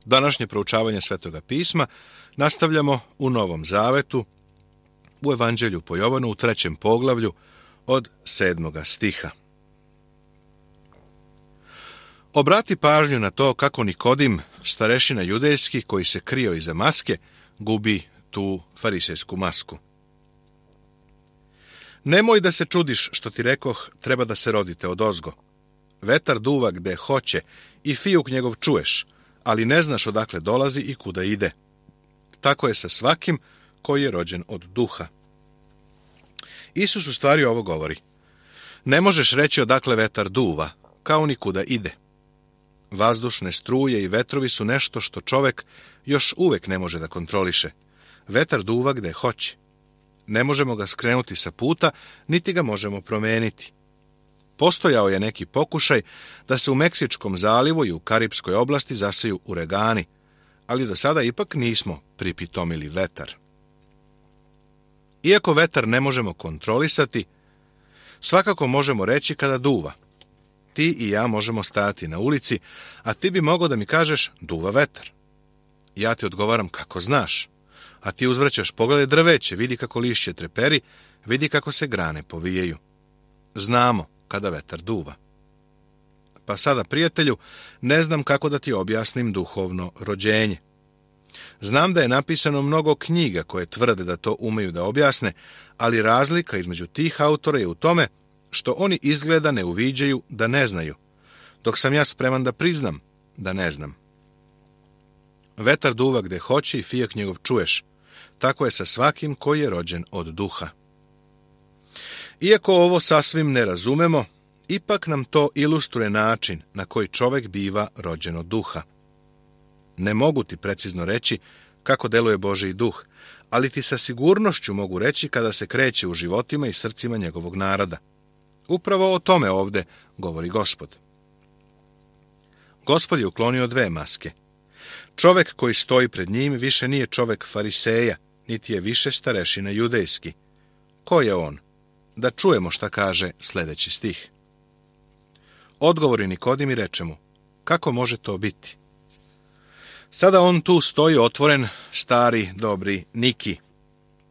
Današnje proučavanje Svetoga pisma nastavljamo u Novom Zavetu, u Evanđelju po Jovanu u 3. poglavlju od 7. stiha. Obrati pažnju na to kako Nikodim, starešina judejski koji se krio iza maske, gubi tu farisejsku masku. Nemoj da se čudiš što ti rekoh, treba da se rodite odozgo. Vetar duva gde hoće i fijuk njegov čuješ, ali ne znaš odakle dolazi i kuda ide. Tako je sa svakim koji je rođen od duha. Isus u stvari ovo govori. Ne možeš reći odakle vetar duva, kao ni kuda ide. Vazdušne struje i vetrovi su nešto što čovek još uvek ne može da kontroliše. Vetar duva gde hoće. Ne možemo ga skrenuti sa puta, niti ga možemo promeniti. Postojao je neki pokušaj da se u Meksičkom zalivu i u Karipskoj oblasti zaseju uragani, ali do sada ipak nismo pripitomili vetar. Iako vetar ne možemo kontrolisati, svakako možemo reći kada duva. Ti i ja možemo stajati na ulici, a ti bi mogao da mi kažeš duva vetar. Ja ti odgovaram kako znaš, a ti uzvraćaš pogledaj drveće, vidi kako lišće treperi, vidi kako se grane povijaju. Znamo kada vetar duva. Pa sada, prijatelju, ne znam kako da ti objasnim duhovno rođenje. Znam da je napisano mnogo knjiga koje tvrde da to umeju da objasne, ali razlika između tih autora je u tome što oni izgleda ne uviđaju da ne znaju, dok sam ja spreman da priznam da ne znam. Vetar duva gde hoće i fijak njegov čuješ. Tako je sa svakim koji je rođen od duha. Iako ovo sasvim ne razumemo, ipak nam to ilustruje način na koji čovek biva rođen od duha. Ne mogu ti precizno reći kako deluje Božji duh, ali ti sa sigurnošću mogu reći kada se kreće u životima i srcima njegovog naroda. Upravo o tome ovde govori Gospod. Gospod je uklonio 2 maske. Čovek koji stoji pred njim više nije čovek fariseja, niti je više starešina judejski. Ko je on? Da čujemo šta kaže sljedeći stih. Odgovori Nikodim i reče mu, kako može to biti? Sada on tu stoji otvoren, stari, dobri Niki.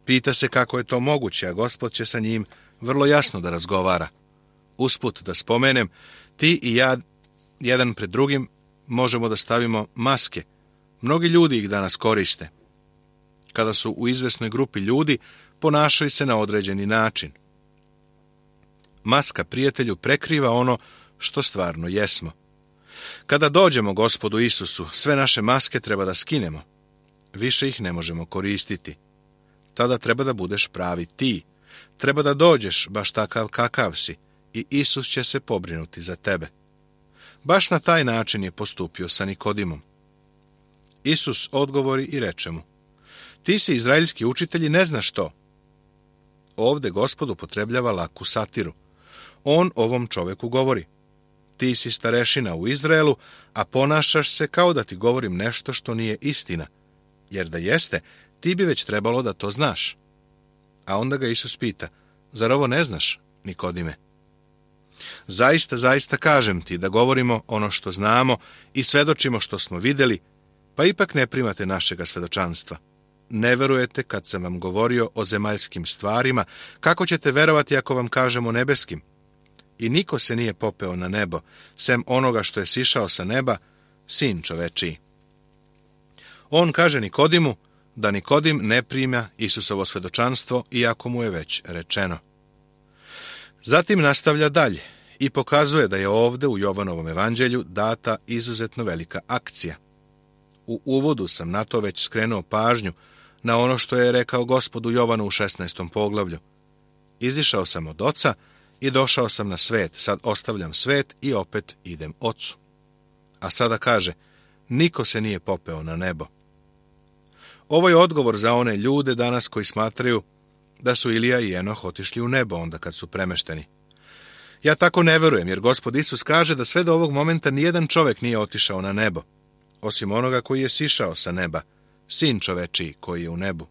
Pita se kako je to moguće, a Gospod će sa njim vrlo jasno da razgovara. Usput da spomenem, ti i ja, jedan pred drugim, možemo da stavimo maske. Mnogi ljudi ih danas koriste. Kada su u izvesnoj grupi ljudi, ponašaju se na određeni način. Maska, prijatelju, prekriva ono što stvarno jesmo. Kada dođemo Gospodu Isusu, sve naše maske treba da skinemo. Više ih ne možemo koristiti. Tada treba da budeš pravi ti. Treba da dođeš baš takav kakav si i Isus će se pobrinuti za tebe. Baš na taj način je postupio sa Nikodimom. Isus odgovori i reče mu, ti si izraelski učitelj i ne znaš to. Ovde Gospod upotrebljava laku satiru. On ovom čoveku govori, ti si starešina u Izraelu, a ponašaš se kao da ti govorim nešto što nije istina, jer da jeste, ti bi već trebalo da to znaš. A onda ga Isus pita, zar ovo ne znaš, Nikodime? Zaista, zaista kažem ti da govorimo ono što znamo i svedočimo što smo vidjeli, pa ipak ne primate našega svedočanstva. Ne verujete kad sam vam govorio o zemaljskim stvarima, kako ćete verovati ako vam kažemo nebeskim? I niko se nije popeo na nebo, sem onoga što je sišao sa neba, sin čovečiji. On kaže Nikodimu da Nikodim ne prima Isusovo svedočanstvo, iako mu je već rečeno. Zatim nastavlja dalje i pokazuje da je ovde u Jovanovom evanđelju data izuzetno velika akcija. U uvodu sam na to već skrenuo pažnju na ono što je rekao Gospodu Jovanu u 16. poglavlju. Izišao sam od Oca i došao sam na svet, sad ostavljam svet i opet idem Ocu. A sada kaže, niko se nije popeo na nebo. Ovo je odgovor za one ljude danas koji smatraju da su Ilija i Enoh otišli u nebo onda kad su premešteni. Ja tako ne verujem, jer Gospod Isus kaže da sve do ovog momenta nijedan čovek nije otišao na nebo, osim onoga koji je sišao sa neba, sin čovečiji koji je u nebu.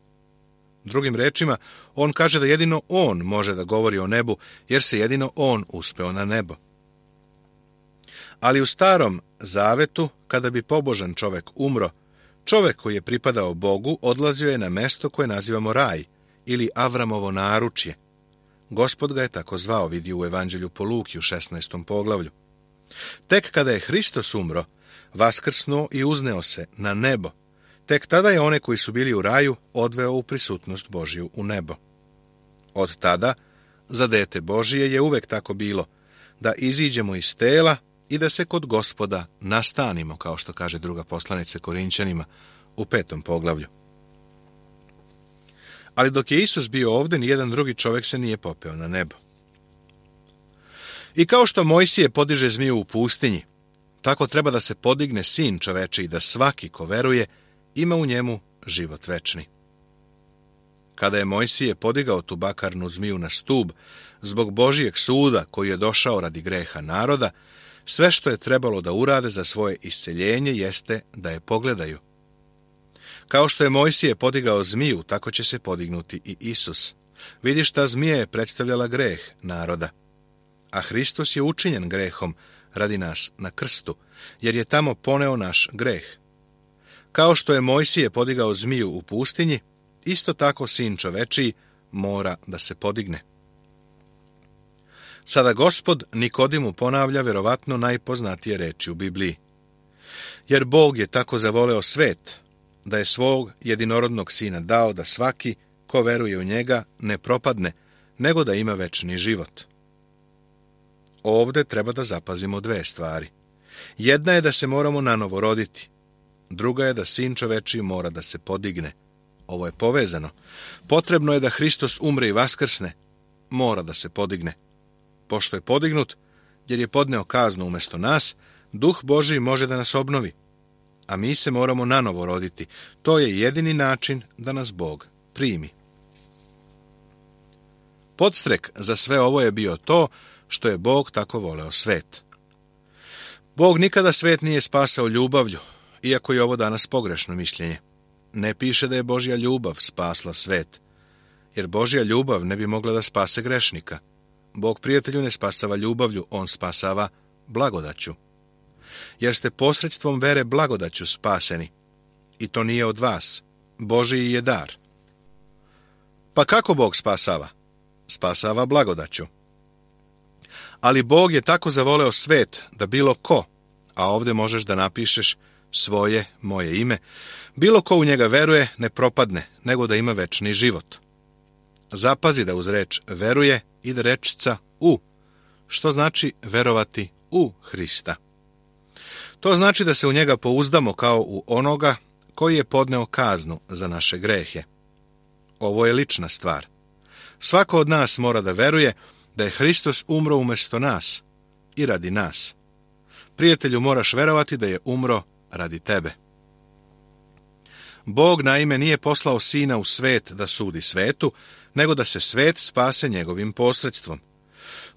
Drugim rečima, on kaže da jedino on može da govori o nebu, jer se jedino on uspeo na nebo. Ali u Starom zavetu, kada bi pobožan čovek umro, čovek koji je pripadao Bogu odlazio je na mesto koje nazivamo raj ili Avramovo naručje. Gospod ga je tako zvao, vidi u Evanđelju po Luki u 16. poglavlju. Tek kada je Hristos umro, vaskrsnuo i uzneo se na nebo, tek tada je one koji su bili u raju odveo u prisutnost Božju u nebo. Od tada, za dete Božije je uvek tako bilo, da iziđemo iz tela i da se kod Gospoda nastanimo, kao što kaže druga poslanica Korinćanima u 5. poglavlju. Ali dok je Isus bio ovdje, nijedan drugi čovjek se nije popeo na nebo. I kao što Mojsije podiže zmiju u pustinji, tako treba da se podigne Sin čoveči i da svaki ko veruje ima u njemu život večni. Kada je Mojsije podigao tu bakarnu zmiju na stub zbog Božijeg suda koji je došao radi greha naroda, sve što je trebalo da urade za svoje isceljenje jeste da je pogledaju. Kao što je Mojsije podigao zmiju, tako će se podignuti i Isus. Vidiš, ta zmija je predstavljala greh naroda. A Hristos je učinjen grehom radi nas na krstu, jer je tamo poneo naš greh. Kao što je Mojsije podigao zmiju u pustinji, isto tako Sin čovečiji mora da se podigne. Sada Gospod Nikodimu ponavlja verovatno najpoznatije reči u Bibliji. Jer Bog je tako zavoleo svet, da je svog jedinorodnog Sina dao da svaki ko veruje u njega ne propadne, nego da ima večni život. Ovde treba da zapazimo dve stvari. Jedna je da se moramo nanovo roditi. Druga je da Sin čovečiji mora da se podigne. Ovo je povezano. Potrebno je da Hristos umre i vaskrsne. Mora da se podigne. Pošto je podignut, jer je podneo kaznu umjesto nas, Duh Božiji može da nas obnovi. A mi se moramo nanovo roditi. To je jedini način da nas Bog primi. Podstrek za sve ovo je bio to što je Bog tako voleo svet. Bog nikada svet nije spasao ljubavlju, iako je ovo danas pogrešno mišljenje. Ne piše da je Božja ljubav spasla svet, jer Božja ljubav ne bi mogla da spase grešnika. Bog prijatelju ne spasava ljubavlju, on spasava blagodaću. Jer ste posredstvom vere blagodaću spaseni. I to nije od vas. Božiji je dar. Pa kako Bog spasava? Spasava blagodaću. Ali Bog je tako zavoleo svet da bilo ko, a ovdje možeš da napišeš svoje, moje ime, bilo ko u njega veruje ne propadne, nego da ima večni život. Zapazi da uz reč veruje ide rečica u, što znači verovati u Hrista. To znači da se u njega pouzdamo kao u onoga koji je podneo kaznu za naše grehe. Ovo je lična stvar. Svako od nas mora da veruje da je Hristos umro umjesto nas i radi nas. Prijatelju, moraš verovati da je umro radi tebe. Bog naime nije poslao Sina u svet da sudi svetu, nego da se svet spase njegovim posredstvom.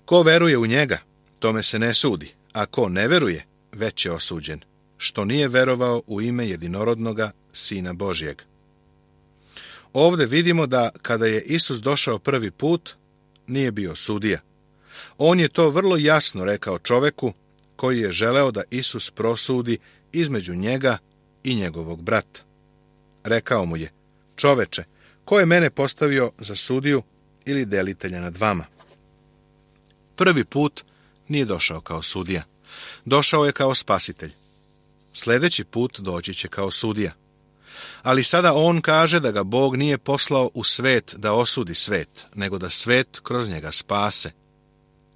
Ko veruje u njega, tome se ne sudi, a ko ne veruje, već je osuđen, što nije verovao u ime jedinorodnoga Sina Božjeg. Ovdje vidimo da kada je Isus došao prvi put, nije bio sudija. On je to vrlo jasno rekao čoveku koji je želeo da Isus prosudi između njega i njegovog brata. Rekao mu je: čoveče, ko je mene postavio za sudiju ili delitelja nad vama? Prvi put nije došao kao sudija. Došao je kao spasitelj. Sljedeći put doći će kao sudija. Ali sada on kaže da ga Bog nije poslao u svet da osudi svet, nego da svet kroz njega spase.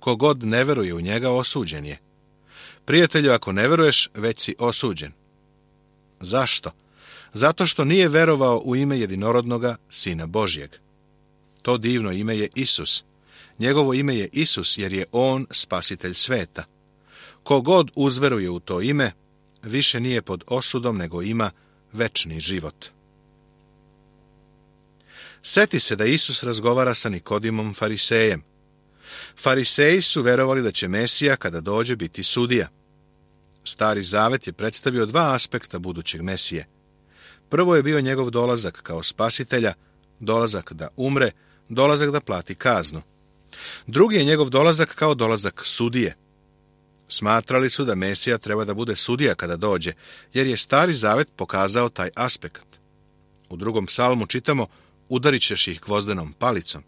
Kogod ne veruje u njega, osuđen je. Prijatelju, ako ne veruješ, već si osuđen. Zašto? Zato što nije verovao u ime jedinorodnoga Sina Božjeg. To divno ime je Isus. Njegovo ime je Isus jer je on spasitelj sveta. Kogod uzveruje u to ime, više nije pod osudom, nego ima večni život. Seti se da Isus razgovara sa Nikodimom farisejem. Fariseji su verovali da će Mesija kada dođe biti sudija. Stari zavet je predstavio dva aspekta budućeg Mesije. Prvo je bio njegov dolazak kao spasitelja, dolazak da umre, dolazak da plati kaznu. Drugi je njegov dolazak kao dolazak sudije. Smatrali su da Mesija treba da bude sudija kada dođe, jer je Stari Zavet pokazao taj aspekt. U 2. psalmu čitamo: udarit ćeš ih gvozdenom palicom.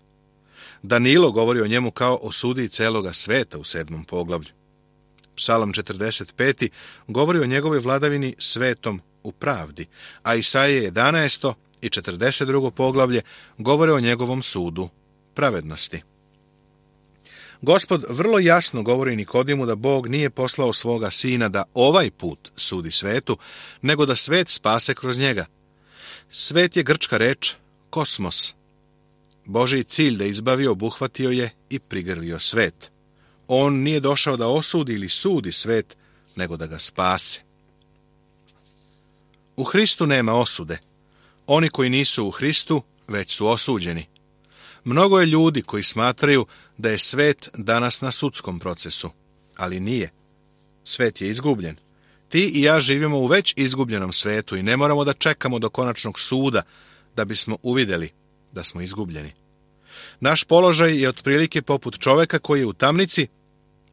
Danilo govori o njemu kao o sudiji celoga sveta u 7. poglavlju. Psalam 45. govori o njegovoj vladavini svetom u pravdi, a Isaije 11. i 42. poglavlje govore o njegovom sudu pravednosti. Gospod vrlo jasno govori Nikodimu da Bog nije poslao svoga sina da ovaj put sudi svetu, nego da svet spase kroz njega. Svet je grčka reč kosmos. Božji cilj da izbavi obuhvatio je i prigrlio svet. On nije došao da osudi ili sudi svet, nego da ga spase. U Hristu nema osude. Oni koji nisu u Hristu već su osuđeni. Mnogo je ljudi koji smatraju da je svet danas na sudskom procesu, ali nije. Svet je izgubljen. Ti i ja živimo u već izgubljenom svetu i ne moramo da čekamo do konačnog suda da bismo uvidjeli da smo izgubljeni. Naš položaj je otprilike poput čoveka koji je u tamnici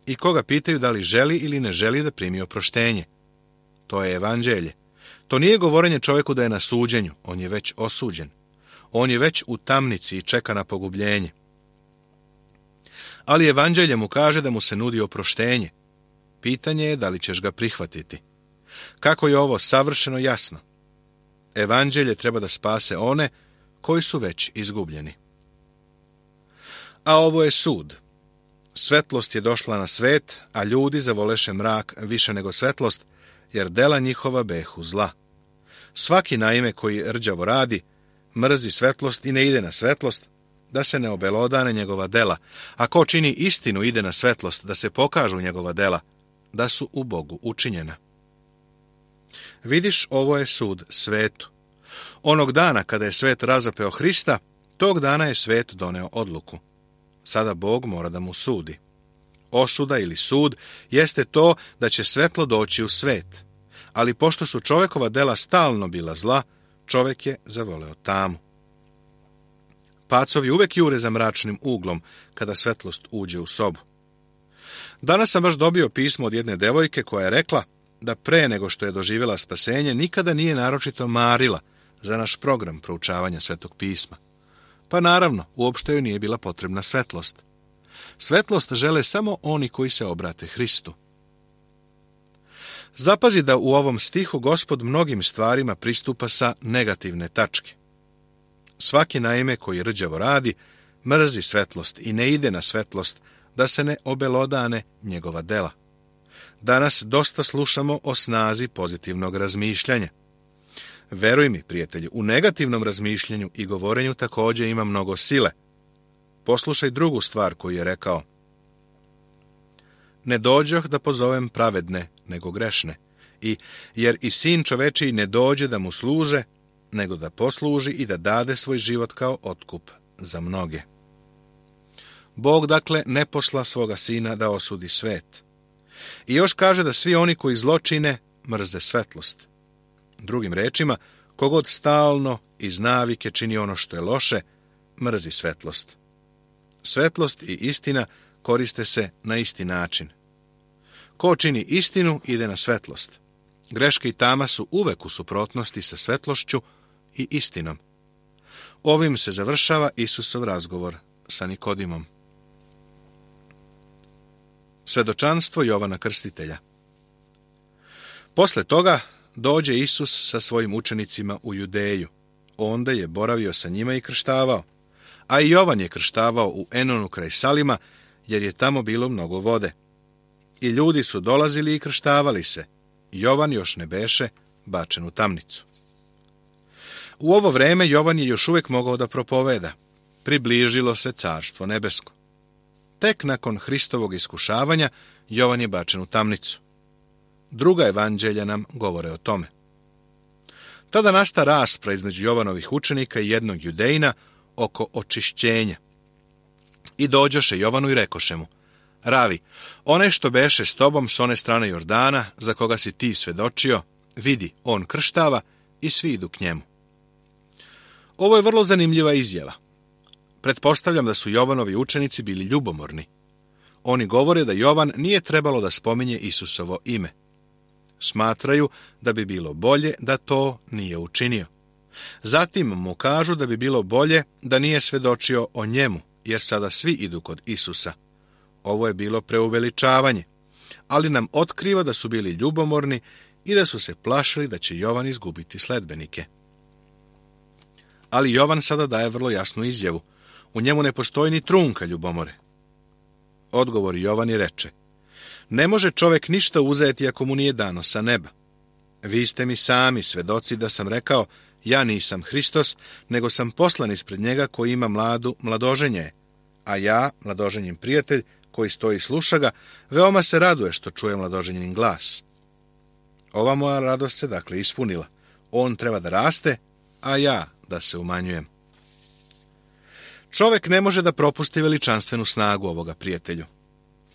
i koga pitaju da li želi ili ne želi da primi oproštenje. To je evanđelje. To nije govorenje čoveku da je na suđenju, on je već osuđen. On je već u tamnici i čeka na pogubljenje. Ali evanđelje mu kaže da mu se nudi oproštenje. Pitanje je da li ćeš ga prihvatiti. Kako je ovo savršeno jasno? Evanđelje treba da spase one koji su već izgubljeni. A ovo je sud. Svetlost je došla na svet, a ljudi zavoleše mrak više nego svetlost, jer dela njihova behu zla. Svaki naime koji rđavo radi, mrzi svetlost i ne ide na svetlost, da se ne obelodane njegova dela, a ko čini istinu ide na svetlost, da se pokažu njegova dela, da su u Bogu učinjena. Vidiš, ovo je sud svetu. Onog dana kada je svet razapeo Hrista, tog dana je svet doneo odluku. Sada Bog mora da mu sudi. Osuda ili sud jeste to da će svetlo doći u svet, ali pošto su čovekova dela stalno bila zla, čovek je zavoleo tamu. Pacovi uvek jure za mračnim uglom kada svetlost uđe u sobu. Danas sam baš dobio pismo od jedne devojke koja je rekla da pre nego što je doživjela spasenje nikada nije naročito marila za naš program proučavanja Svetog pisma. Pa naravno, uopšte joj nije bila potrebna svetlost. Svetlost žele samo oni koji se obrate Hristu. Zapazi da u ovom stihu Gospod mnogim stvarima pristupa sa negativne tačke. Svaki naime koji rđavo radi, mrzi svetlost i ne ide na svetlost, da se ne obelodane njegova dela. Danas dosta slušamo o snazi pozitivnog razmišljanja. Veruj mi, prijatelju, u negativnom razmišljanju i govorenju također ima mnogo sile. Poslušaj drugu stvar koju je rekao. Ne dođoh da pozovem pravedne, nego grešne, jer i sin čovečiji ne dođe da mu služe, nego da posluži i da dade svoj život kao otkup za mnoge. Bog, dakle, ne posla svoga sina da osudi svet. I još kaže da svi oni koji zločine mrze svetlost. Drugim rečima, kogod stalno iz navike čini ono što je loše, mrzi svetlost. Svetlost i istina koriste se na isti način. Ko čini istinu, ide na svetlost. Greške i tama su uvek u suprotnosti sa svetlošću i istinom. Ovim se završava Isusov razgovor sa Nikodimom. Svedočanstvo Jovana Krstitelja. Posle toga dođe Isus sa svojim učenicima u Judeju. Onda je boravio sa njima i krštavao. A i Jovan je krštavao u Enonu kraj Salima, jer je tamo bilo mnogo vode. I ljudi su dolazili i krštavali se. Jovan još ne beše bačen u tamnicu. U ovo vreme Jovan je još uvijek mogao da propoveda. Približilo se carstvo nebesko. Tek nakon Hristovog iskušavanja Jovan je bačen u tamnicu. Druga evanđelja nam govore o tome. Tada nasta rasprava između Jovanovih učenika i jednog Judejina oko očišćenja. I dođoše Jovanu i rekoše mu: Ravi, onaj što beše s tobom s one strane Jordana, za koga si ti svedočio, vidi, on krštava i svi idu k njemu. Ovo je vrlo zanimljiva izjava. Pretpostavljam da su Jovanovi učenici bili ljubomorni. Oni govore da Jovan nije trebalo da spominje Isusovo ime. Smatraju da bi bilo bolje da to nije učinio. Zatim mu kažu da bi bilo bolje da nije svedočio o njemu, jer sada svi idu kod Isusa. Ovo je bilo preuveličavanje, ali nam otkriva da su bili ljubomorni i da su se plašili da će Jovan izgubiti sledbenike. Ali Jovan sada daje vrlo jasnu izjavu. U njemu ne postoji ni trunka ljubomore. Odgovori Jovan i reče: ne može čovjek ništa uzeti ako mu nije dano sa neba. Vi ste mi sami svedoci da sam rekao: ja nisam Hristos, nego sam poslan ispred njega koji ima mladoženje je. A ja, mladoženjin prijatelj, koji stoji i sluša ga, veoma se raduje što čuje mladoženjin glas. Ova moja radost se dakle ispunila. On treba da raste, a ja da se umanjujem. Čovjek ne može da propusti veličanstvenu snagu ovoga, prijatelju.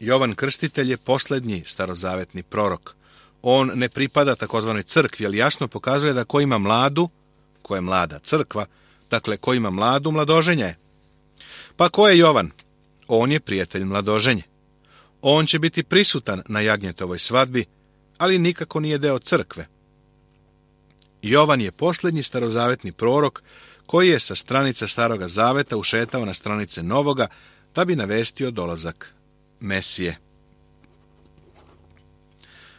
Jovan Krstitelj je posljednji starozavetni prorok. On ne pripada takozvanoj crkvi, ali jasno pokazuje da ko ima mladu, ko je mlada crkva, dakle ko ima mladu, mladoženja je. Pa ko je Jovan? On je prijatelj mladoženje. On će biti prisutan na jagnjetovoj svadbi, ali nikako nije deo crkve. Jovan je posljednji starozavetni prorok koji je sa stranica Staroga zaveta ušetao na stranice Novoga da bi navestio dolazak Mesije.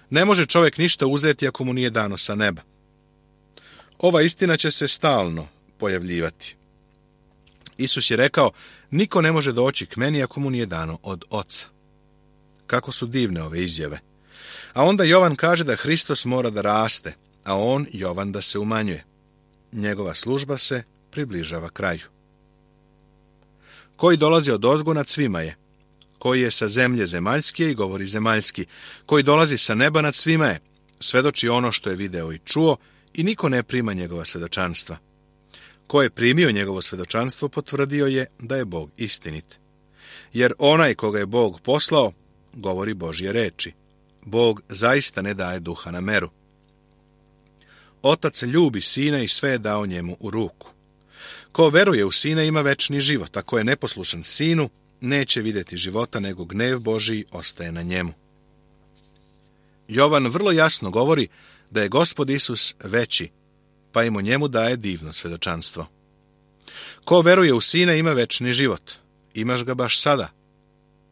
Ne može čovjek ništa uzeti ako mu nije dano sa neba. Ova istina će se stalno pojavljivati. Isus je rekao: niko ne može doći k meni ako mu nije dano od Oca. Kako su divne ove izjave. A onda Jovan kaže da Hristos mora da raste, a on, Jovan, da se umanjuje. Njegova služba se približava kraju. Koji dolazi od ozgo nad svima je. Koji je sa zemlje zemaljski i govori zemaljski. Koji dolazi sa neba nad svima je. Svedoči ono što je video i čuo i niko ne prima njegova svedočanstva. Ko je primio njegovo svedočanstvo, potvrdio je da je Bog istinit. Jer onaj koga je Bog poslao, govori Božje reči. Bog zaista ne daje duha na meru. Otac ljubi sina i sve je dao njemu u ruku. Ko veruje u sina ima večni život, a ko je neposlušan sinu, neće vidjeti života, nego gnev Božji ostaje na njemu. Jovan vrlo jasno govori da je Gospod Isus veći, pa im o njemu daje divno svedočanstvo. Ko veruje u sina ima večni život. Imaš ga baš sada.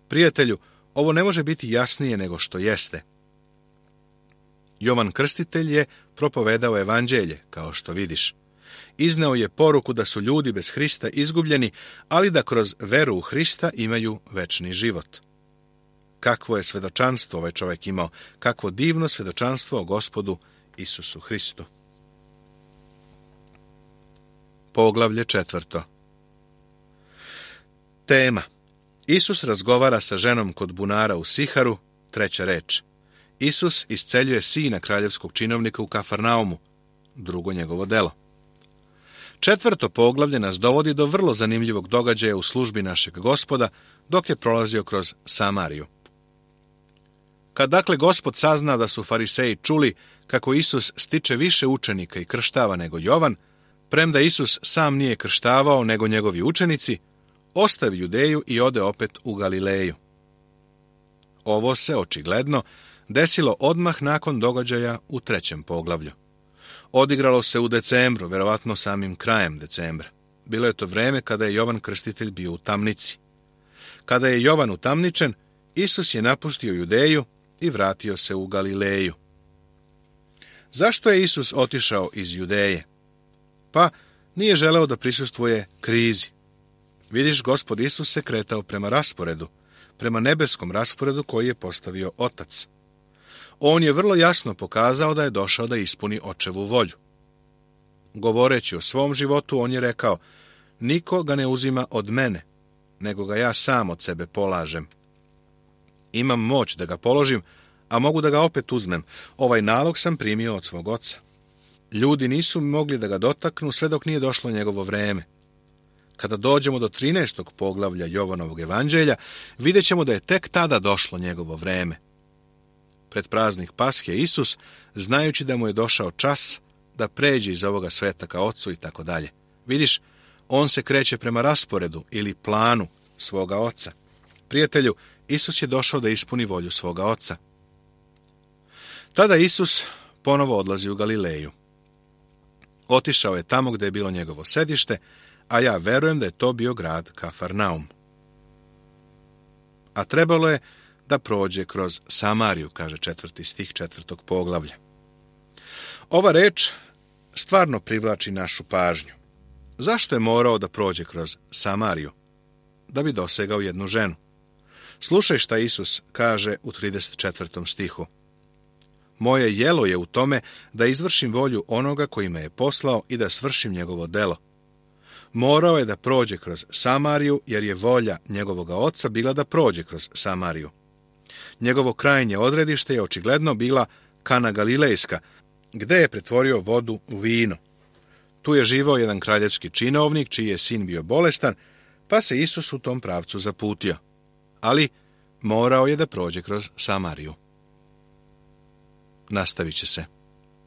Prijatelju, ovo ne može biti jasnije nego što jeste. Jovan Krstitelj je propovedao evanđelje, kao što vidiš. Izneo je poruku da su ljudi bez Hrista izgubljeni, ali da kroz veru u Hrista imaju večni život. Kakvo je svedočanstvo ovaj čovjek imao, kakvo divno svedočanstvo o Gospodu Isusu Hristu. Poglavlje 4. Tema: Isus razgovara sa ženom kod bunara u Siharu, 3. reč. Isus isceljuje sina kraljevskog činovnika u Kafarnaumu, 2. njegovo delo. 4. poglavlje nas dovodi do vrlo zanimljivog događaja u službi našeg Gospoda dok je prolazio kroz Samariju. Kad dakle Gospod sazna da su fariseji čuli kako Isus stiče više učenika i krštava nego Jovan, premda Isus sam nije krštavao nego njegovi učenici, ostavi Judeju i ode opet u Galileju. Ovo se očigledno desilo odmah nakon događaja u 3. poglavlju. Odigralo se u decembru, verovatno samim krajem decembra. Bilo je to vreme kada je Jovan Krstitelj bio u tamnici. Kada je Jovan utamničen, Isus je napustio Judeju i vratio se u Galileju. Zašto je Isus otišao iz Judeje? Pa nije želeo da prisustvuje krizi. Vidiš, Gospod Isus se kretao prema rasporedu, prema nebeskom rasporedu koji je postavio Otac. On je vrlo jasno pokazao da je došao da ispuni Očevu volju. Govoreći o svom životu, on je rekao: niko ga ne uzima od mene, nego ga ja sam od sebe polažem. Imam moć da ga položim, a mogu da ga opet uzmem. Ovaj nalog sam primio od svog Oca. Ljudi nisu mogli da ga dotaknu sve dok nije došlo njegovo vreme. Kada dođemo do 13. poglavlja Jovanovog evanđelja, vidjet ćemo da je tek tada došlo njegovo vreme. Pred praznik Pashe Isus, znajući da mu je došao čas da pređe iz ovoga sveta ka Ocu i tako dalje. Vidiš, on se kreće prema rasporedu ili planu svoga Oca. Prijatelju, Isus je došao da ispuni volju svoga oca. Tada Isus ponovo odlazi u Galileju. Otišao je tamo gdje je bilo njegovo sedište, a ja verujem da je to bio grad Kafarnaum. A trebalo je da prođe kroz Samariju, kaže 4. stih 4. poglavlja. Ova reč stvarno privlači našu pažnju. Zašto je morao da prođe kroz Samariju? Da bi dosegao jednu ženu. Slušaj šta Isus kaže u 34. stihu. Moje jelo je u tome da izvršim volju onoga koji me je poslao i da svršim njegovo delo. Morao je da prođe kroz Samariju, jer je volja njegovoga oca bila da prođe kroz Samariju. Njegovo krajnje odredište je očigledno bila Kana Galilejska, gde je pretvorio vodu u vino. Tu je živao jedan kraljevski činovnik, čiji je sin bio bolestan, pa se Isus u tom pravcu zaputio. Ali morao je da prođe kroz Samariju. Nastavit će se.